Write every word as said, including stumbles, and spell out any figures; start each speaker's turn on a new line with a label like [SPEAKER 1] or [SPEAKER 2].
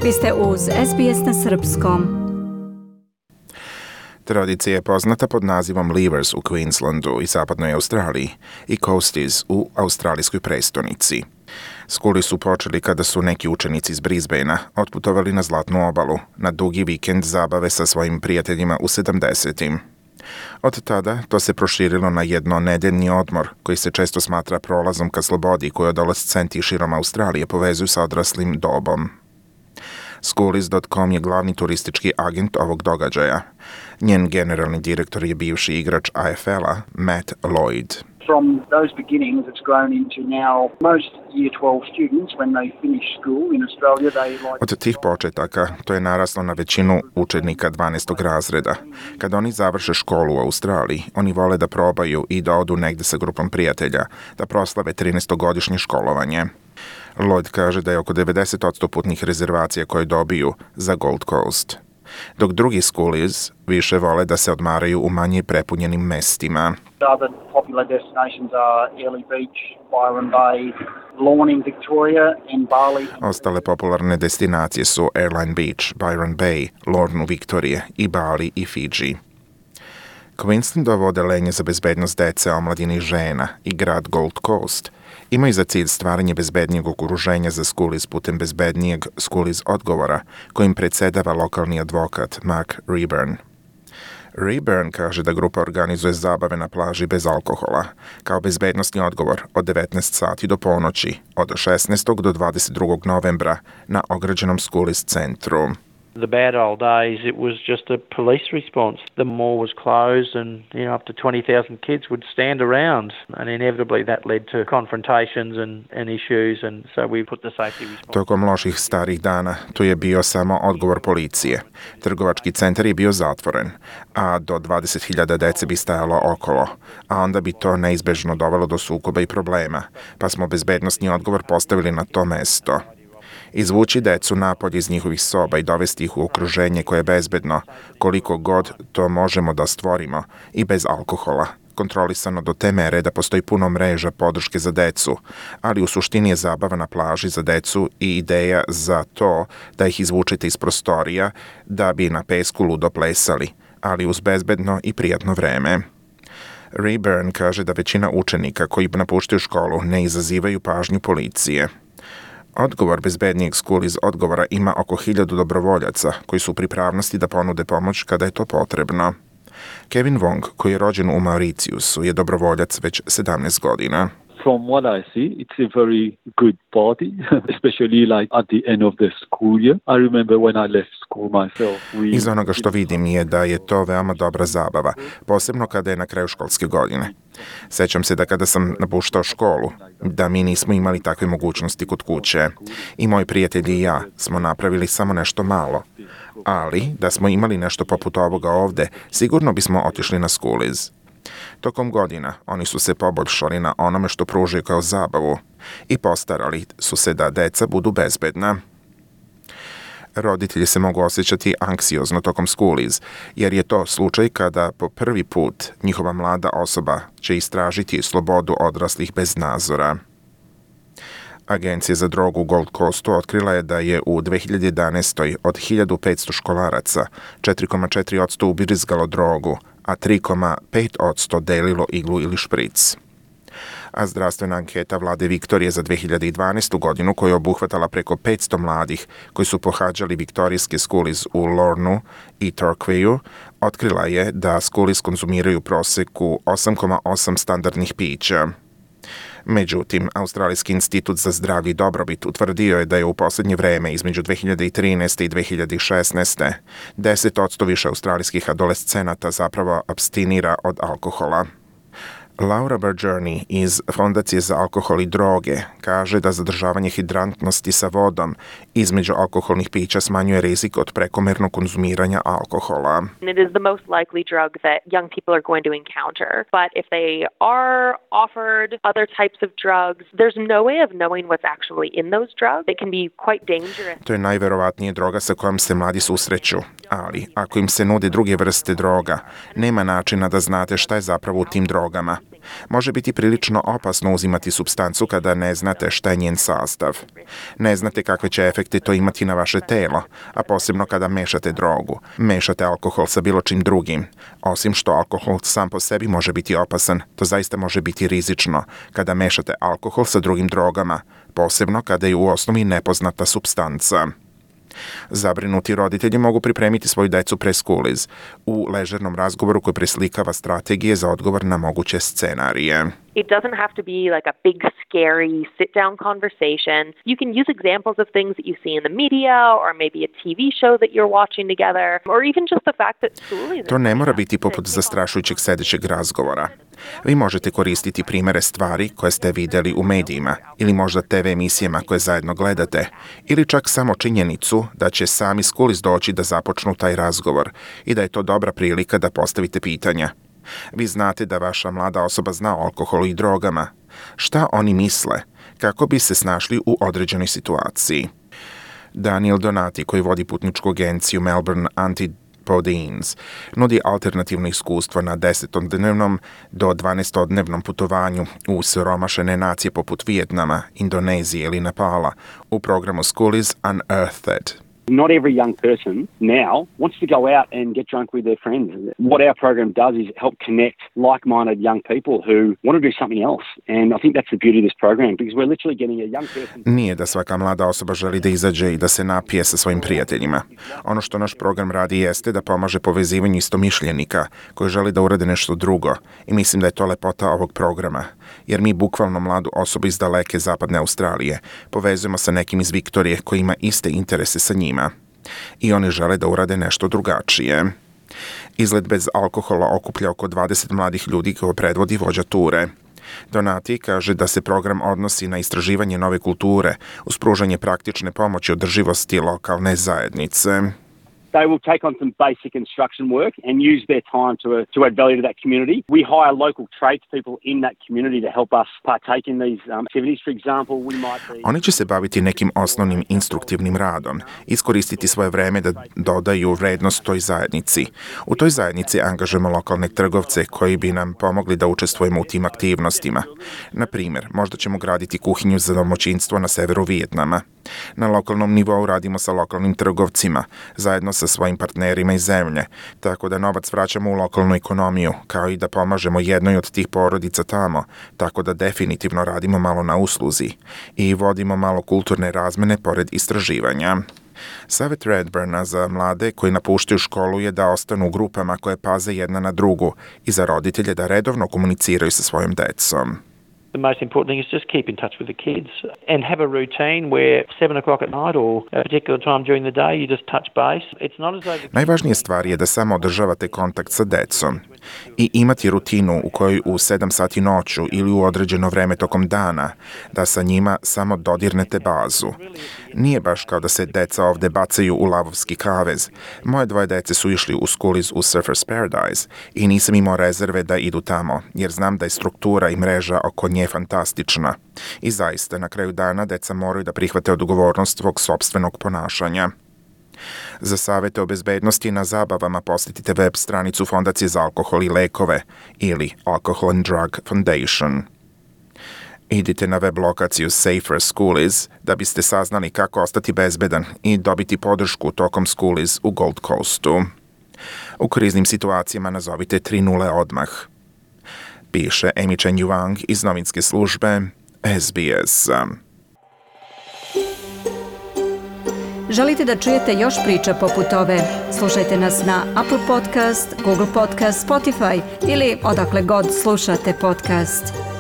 [SPEAKER 1] Vi ste uz S B S na srpskom.
[SPEAKER 2] Tradicija je poznata pod nazivom Leavers u Queenslandu i zapadnoj Australiji i Coasties u australijskoj prestonici. Skuli su počeli kada su neki učenici iz Brisbanea otputovali na Zlatnu obalu na dugi vikend zabave sa svojim prijateljima u sedamdesetim. Od tada to se proširilo na jednonedeljni odmor koji se često smatra prolazom ka slobodi koju adolescenti širom Australije povezuju sa odraslim dobom. Schoolies dot com je glavni turistički agent ovog događaja. Njen generalni direktor je bivši igrač A F L-a Matt Lloyd.
[SPEAKER 3] From those beginnings, it's grown into now most Year twelve students, when they finish school in Australia, they like...
[SPEAKER 2] Od tih početaka to je naraslo na većinu učenika dvanaestog razreda. Kad oni završe školu u Australiji, oni vole da probaju i da odu negde sa grupom prijatelja, da proslave trinaestogodišnje školovanje. Lloyd kaže da je oko devedeset posto putnih rezervacija koje dobiju za Gold Coast. Dok drugi schoolies više vole da se odmaraju u manje prepunjenim mestima.
[SPEAKER 3] Other popular destinations are Airlie Beach, Byron Bay, Lorne in Victoria and Bali.
[SPEAKER 2] Ostale popularne destinacije su Airline Beach, Byron Bay, Lorne u Viktorije i Bali i Fiji. Queenslandovo odeljenje za bezbednost dece, omladine i žena i grad Gold Coast imaju za cilj stvaranje bezbednijeg okruženja za schoolies putem bezbednijeg schoolies odgovora kojim predsedava lokalni advokat Mark Rayburn. Rayburn kaže da grupa organizuje zabave na plaži bez alkohola, kao bezbednosni odgovor od devetnaest sati do ponoći, od šesnaestog do dvadeset drugog novembra na ograđenom schoolies centru.
[SPEAKER 4] The bad old days, it was just a police response. The mall was closed and, you know, up to twenty thousand kids would stand around, and inevitably that led to confrontations and, and issues, and so we put the safety response.
[SPEAKER 2] Tokom loših starih dana to je bio samo odgovor policije. Trgovački centar je bio zatvoren, a do dvadeset hiljada dece bi stajalo okolo, a onda bi to neizbežno dovelo do sukoba i problema, pa smo bezbednosni odgovor postavili na to mesto. Izvući decu napolje iz njihovih soba i dovesti ih u okruženje koje je bezbedno, koliko god to možemo da stvorimo, i bez alkohola, kontrolisano do te mere da postoji puno mreža podrške za decu, ali u suštini je zabava na plaži za decu i ideja za to da ih izvučete iz prostorija da bi na pesku ludo plesali, ali uz bezbedno i prijatno vreme. Rayburn kaže da većina učenika koji napuštaju školu ne izazivaju pažnju policije. Odgovor bezbednijeg schoolies odgovora ima oko hiljadu dobrovoljaca koji su u pripravnosti da ponude pomoć kada je to potrebno. Kevin Wong, koji je rođen u Mauritiusu, je dobrovoljac već sedamnaest godina.
[SPEAKER 5] From what I see, it's a very good party, especially like at the end of the school year. I remember when I left school myself. We...
[SPEAKER 2] Iz onoga što vidim je da je to veoma dobra zabava, posebno kada je na kraju školske godine. Sećam se da kada sam napuštao školu, da mi nismo imali takve mogućnosti kod kuće. I moji prijatelji i ja smo napravili samo nešto malo. Ali, da smo imali nešto poput ovoga ovde, sigurno bismo otišli na schoolies. Tokom godina oni su se poboljšali na onome što pružaju kao zabavu i postarali su se da deca budu bezbedna. Roditelji se mogu osjećati anksiozno tokom schoolies, jer je to slučaj kada po prvi put njihova mlada osoba će istražiti slobodu odraslih bez nadzora. Agencija za drogu u Gold Coastu otkrila je da je u dve hiljade jedanaestoj od hiljadu petsto školaraca četiri zarez četiri posto ubrizgalo drogu, a tri zarez pet posto delilo iglu ili špric. A zdravstvena anketa vlade Viktorije za dve hiljade dvanaestu godinu, koja je obuhvatala preko petsto mladih koji su pohađali viktorijske schoolies u Lornu i Torquayu, otkrila je da schoolies konzumiraju u proseku osam zarez osam standardnih pića. Međutim, Australijski institut za zdravlje i dobrobit utvrdio je da je u posljednje vreme između dve hiljade trinaeste i dve hiljade šesnaeste deset posto više australijskih adolescenata zapravo apstinira od alkohola. Laura Bergerni iz Fondacije za alkohol i droge kaže da zadržavanje hidrantnosti sa vodom između alkoholnih pića smanjuje rizik od prekomernog konzumiranja alkohola.
[SPEAKER 6] It is the most likely drug that young people are going to encounter. But if they are offered other types of drugs, there's no way of knowing what's actually in those drugs. They can be quite dangerous.
[SPEAKER 2] To je najverovatnije droga sa kojom se mladi susreću, ali ako im se nude druge vrste droga, nema načina da znate šta je zapravo u tim drogama. Može biti prilično opasno uzimati supstancu kada ne znate šta je njen sastav. Ne znate kakve će efekte to imati na vaše telo, a posebno kada mešate drogu. Mešate alkohol sa bilo čim drugim. Osim što alkohol sam po sebi može biti opasan, to zaista može biti rizično kada mešate alkohol sa drugim drogama, posebno kada je u osnovi nepoznata supstanca. Zabrinuti roditelji mogu pripremiti svoju decu pre-schoolies u ležernom razgovoru koji preslikava strategije za odgovor na moguće scenarije.
[SPEAKER 6] It doesn't have to be like a big, scary sit-down conversation. You can use examples of things that you see in the media or maybe a T V show that you're watching together or even just the fact that school is...
[SPEAKER 2] To ne mora biti poput zastrašujućeg sedećeg razgovora. Vi možete koristiti primere stvari koje ste vidjeli u medijima ili možda te ve emisijama koje zajedno gledate ili čak samo činjenicu da će sami schoolies doći da započnu taj razgovor i da je to dobra prilika da postavite pitanja. Vi znate da vaša mlada osoba zna o alkoholu i drogama. Šta oni misle? Kako bi se snašli u određenoj situaciji? Daniel Donati, koji vodi putničku agenciju Melbourne Antipodeans, nudi alternativno iskustvo na desetodnevnom do dvanaestodnevnom putovanju u siromašene nacije poput Vijetnama, Indonezije ili Nepala u programu Schoolies Unearthed.
[SPEAKER 7] Not every young person now wants to go out and get drunk with their friends. What our program does is help connect like-minded young people who want to do something else. And I think that's the beauty of this program because we're literally getting a young person...
[SPEAKER 2] Nije da svaka mlada osoba želi da izađe i da se napije sa svojim prijateljima. Ono što naš program radi jeste da pomaže povezivanju istomišljenika koji želi da urade nešto drugo. I mislim da je to lepota ovog programa. Jer mi bukvalno mladu osobu iz daleke zapadne Australije povezujemo sa nekim iz Viktorije koji ima iste interese sa njima. I oni žele da urade nešto drugačije. Izlet bez alkohola okuplja oko dvadeset mladih ljudi koje predvodi vođa ture. Donati kaže da se program odnosi na istraživanje nove kulture uz pružanje praktične pomoći održivosti lokalne zajednice.
[SPEAKER 7] They will take on some basic construction work and use their time to, uh, to add value to that community. We hire local tradespeople in that community to help us partake in these um, activities. For example, we might be...
[SPEAKER 2] Oni će se baviti nekim osnovnim instruktivnim radom, iskoristiti svoje vreme da dodaju vrednost toj zajednici. U toj zajednici angažujemo lokalne trgovce koji bi nam pomogli da učestvujemo u tim aktivnostima. Na primjer, možda ćemo graditi kuhinju za domaćinstvo na severu Vijetnama. Na lokalnom nivou radimo sa lokalnim trgovcima, zajedno sa svojim partnerima iz zemlje, tako da novac vraćamo u lokalnu ekonomiju, kao i da pomažemo jednoj od tih porodica tamo, tako da definitivno radimo malo na usluzi i vodimo malo kulturne razmene pored istraživanja. Savet Redburna za mlade koji napuštaju školu je da ostanu u grupama koje paze jedna na drugu i za roditelje da redovno komuniciraju sa svojom decom.
[SPEAKER 4] The most important thing is just keep in touch with the kids and have a routine where seven o'clock at night or a particular time during the day you just touch base. It's not as though the...
[SPEAKER 2] Najvažnija stvar je da samo održavate kontakt sa decom i imati rutinu u kojoj u sedam sati noću ili u određeno vreme tokom dana da sa njima samo dodirnete bazu. Nije baš kao da se deca ovde bacaju u lavovski kavez. Moje dvoje dece su išli u Schoolies u Surfers Paradise i nisam imao rezerve da idu tamo, jer znam da je struktura i mreža oko nje fantastična. I zaista, na kraju dana deca moraju da prihvate odgovornost svog sopstvenog ponašanja. Za savete o bezbednosti na zabavama posjetite web stranicu Fondacije za alkohol i lekove ili Alcohol and Drug Foundation. Idite na web lokaciju Safer Schoolies da biste saznali kako ostati bezbedan i dobiti podršku tokom Schoolies u Gold Coastu. U kriznim situacijama nazovite tri nula odmah. Piše Amy Chen Yuang iz novinske službe S B S.
[SPEAKER 1] Želite da čujete još priča poput ove? Slušajte nas na Apple Podcast, Google Podcast, Spotify ili odakle god slušate podcast.